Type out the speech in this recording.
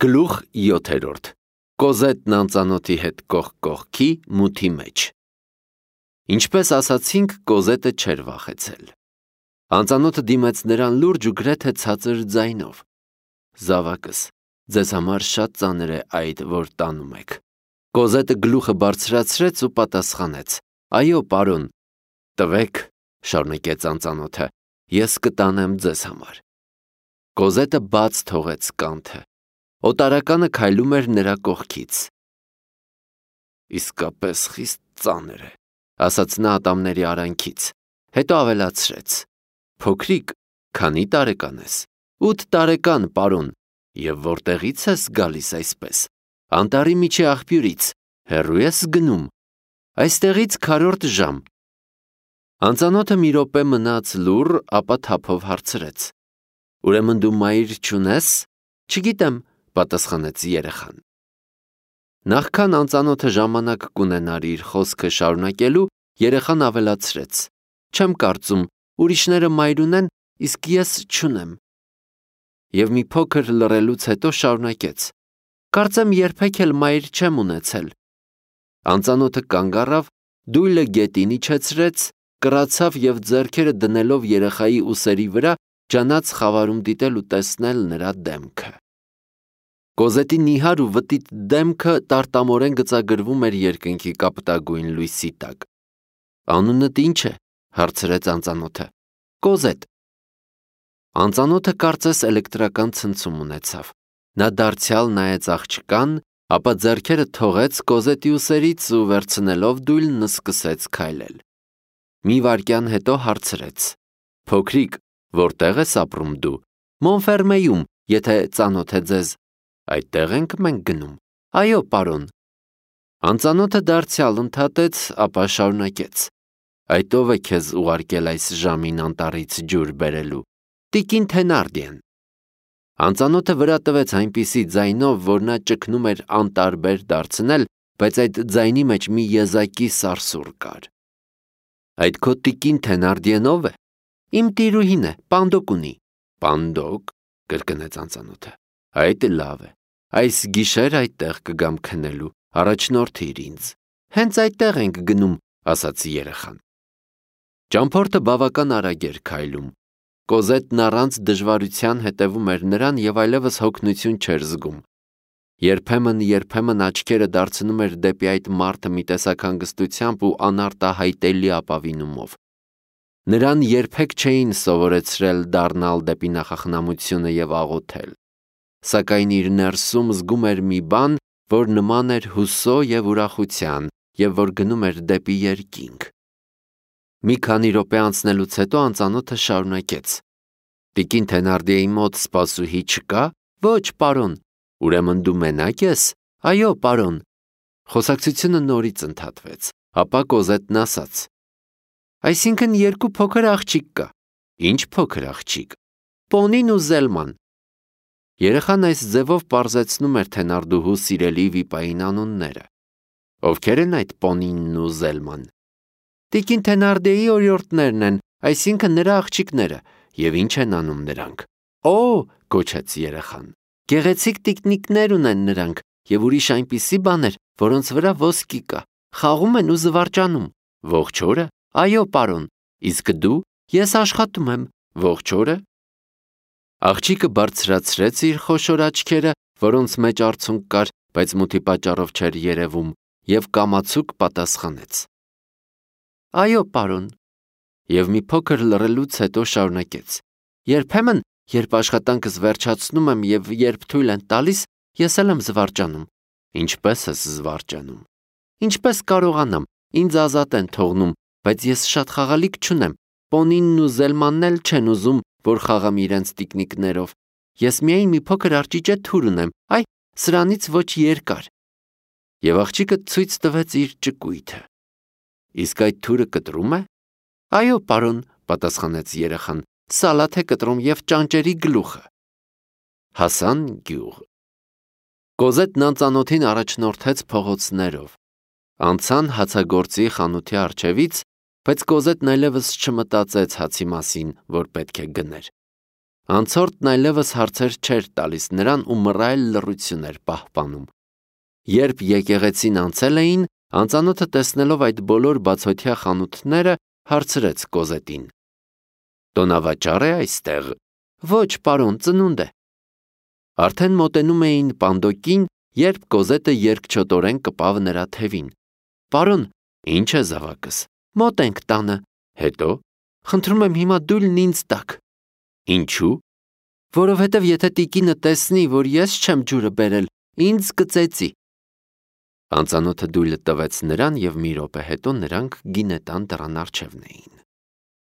Գլուխ 7. Կոզետն անծանոթի հետ կողք կողքի մութի մեջ։ Ինչպես ասացինք, Կոզետը չէր վախեցել։ Անծանոթը դիմեց նրան լուրջ ու գրեթե ցածր ձայնով. «Զավակս, ձեզ համար շատ ծանր է այդ, որ տանում եք»։ Կոզետը գլուխը բարձրացրեց ու պատասխանեց. «Այո, պարոն»։ «Տվեք», շարունակեց անծանոթը, «ես կտանեմ ձեզ համար»։ Կոզետը բաց թողեց կանթը։ Օտարականը քայլում էր նրա կողքից։ «Իսկապես խիստ ծանր է», ասաց նա ատամների արանքից, հետո ավելացրեց. «Փոքրիկ, քանի տարեկան ես»։ 8 տարեկան, պարոն։ Եվ որտեղից ես գալիս այսպես։ Անտառի միջի աղբյուրից, հեռու ես գնում։ Այստեղից քառորդ ժամ։ Անծանոթը մի րոպե մնաց լուռ, ապա թափով հարցրեց. «Ուրեմն դու մայր չունես»։ «Չգիտեմ», պատասխանեց երեխան։ Նախքան անծանոթը ժամանակ կունենար իր խոսքը շարունակելու, երեխան ավելացրեց. «Չեմ կարծում, ուրիշները մայր ունեն, իսկ ես չունեմ»։ Եվ մի փոքր լռելուց հետո շարունակեց. «Կարծեմ երբեք էլ մայր չեմ ունեցել»։ Անծանոթը կանգ առավ, դույլը գետին իջեցրեց, կռացավ և ձեռքերը դնելով երեխայի ուսերի վրա, ջանաց խավարում դիտել ու տեսնել նրա դեմքը։ Կոզետի նիհար ու վտիտ դեմքը տարտամորեն գծագրվում էր երկնքի կապտագույն լույսի տակ։ «Անունդ ի՞նչ է», հարցրեց անծանոթը։ «Կոզետ»։ Անծանոթը կարծես էլեկտրական ցնցում ունեցավ։ Նա դարձյալ նայեց աղջկան, ապա ձեռքերը թողեց Կոզետի ուսերից ու վերցնելով դույլն սկսեց քայլել։ Մի վայրկյան հետո հարցրեց. «Փոքրիկ, որտեղ ես ապրում դու»։ «Մոնֆերմեյում, եթե ծանոթ է ձեզ»։ «Այդտեղ ենք մենք գնում»։ «Այո, պարոն»։ Անծանոթը դարձյալ ընդհատեց, ապա շարունակեց. «Այդ ով է քեզ ուղարկել այս ժամին անտառից ջուր բերելու»։ «Տիկին Թենարդիեն»։ Անծանոթը վրա տվեց այնպիսի ձայնով, որ նա ճգնում էր անտարբեր դարձնել, բայց այդ ձայնի մեջ մի եզակի սարսուռ կար։ «Այդ քո տիկին Թենարդիեն ով է»։ «Իմ տիրուհին է, պանդոկ ունի»։ «Պանդոկ», կրկնեց անծանոթը։ «Այդ լավ է։ Այս գիշեր այդտեղ կգամ քնելու, առաջնորդիր ինձ»։ «Հենց այդտեղ ենք գնում», ասաց երեխան։ Ճամփորդը բավական արագ էր քայլում։ Կոզետն առանց դժվարության հետևում էր նրան և այլևս հոգնություն չէր զգում։ Երբեմն աչքերը դարձնում էր դեպի այդ մարդը մի տեսակ հանգստությամբ ու անարտահայտելի ապավինումով։ Նրան երբեք չէին սովորեցրել դառնալ դեպի նախախնամությունը և աղոթել։ Սակայն իր ներսում զգում էր մի բան, որ նման էր հուսո և ուրախության, և որ գնում էր դեպի երկինք։ Մի քանի րոպե անցնելուց հետո անծանոթը շարունակեց. «Տիկին Թենարդիեի մոտ սպասուհի չկա»։ «Ոչ, պարոն»։ «Ուրեմն դու մենակ ես»։ «Այո, պարոն»։ Խոսակցությունը նորից ընդհատվեց, ապա Կոզետն ասաց. «Այսինքն երկու փոքր աղջիկ կա»։ «Ինչ փոքր աղջիկ»։ «Պոնին ու Զելման»։ Երեխան այս ձևով պարզեցնում էր Թենարդուհու սիրելի վիպային անունները։ Ովքեր են այդ Պոնինն ու Զելման։ Տիկին Թենարդիեի օրիորդներն են, այսինքն նրա աղջիկները։ Եվ ինչ են անում նրանք։ «Օ», գոչեց երեխան, «գեղեցիկ տիկնիկներ ունեն նրանք և ուրիշ այնպիսի բաներ, որոնց վրա ոսկի կա։ Խաղում են ու զվարճանում»։ «Ողջ օրը»։ «Այո, պարոն»։ «Իսկ դու»։ «Ես աշխատում եմ»։ «Ողջ օրը»։ Աղջիկը բարձրացրեց իր խոշոր աչքերը, որոնց մեջ արցունք կար, բայց մութի պատճառով չէր երևում, և կամացուկ պատասխանեց. «Այո, պարոն»։ Եվ մի փոքր լռելուց հետո շարունակեց. «Երբեմն, երբ աշխատանքս վերջացնում եմ և երբ թույլ են տալիս, ես էլ եմ զվարճանում»։ «Ինչպես ես զվարճանում»։ «Ինչպես կարողանամ, ինձ ազատ են թողնում, բայց ես շատ խաղալիք չունեմ։ Պոնինն ու Զելմանն էլ չեն ուզում, որ խաղամ իրենց տիկնիկներով։ Ես միայն մի փոքր արճիճե թուր ունեմ, այ, սրանից ոչ երկար»։ Եվ աղջիկը ցույց տվեց իր ճկույթը։ «Իսկ այդ թուրը կտրում է»։ «Այո, պարոն», պատասխանեց երեխան, «սալաթ է կտրում և ճանճերի գլուխը»։ Հասան գյուղ։ Կոզետն անծանոթին առաջնորդեց փողոցներով։ Անցան հացագործի խանութի առջևից, բայց Կոզետն այլևս չմտածեց հացի մասին, որ պետք է գներ։ Անցորդն այլևս հարցեր չէր տալիս նրան ու մռայլ լռություն էր պահպանում։ Երբ եկեղեցին անցել էին, անծանոթը տեսնելով այդ բոլոր բացօթյա խանութները, հարցրեց Կոզետին. «Տոնավաճառ է այստեղ»։ «Ոչ, պարոն, ծնունդ է»։ Արդեն մոտենում էին պանդոկին, երբ Կոզետը երկչոտորեն կպավ նրա թևին։ «Պարոն, ի՞նչ է զավակս»։ «Մոտ ենք տանը»։ «Հետո»։ «Խնդրում եմ հիմա դույլն ինձ տաք»։ «Ինչու»։ «Որովհետև եթե տիկինը տեսնի, որ ես չեմ ջուրը բերել, ինձ կծեծի»։ Անծանոթը դույլը տվեց նրան և մի րոպե հետո նրանք գինետան դռան առջևն էին։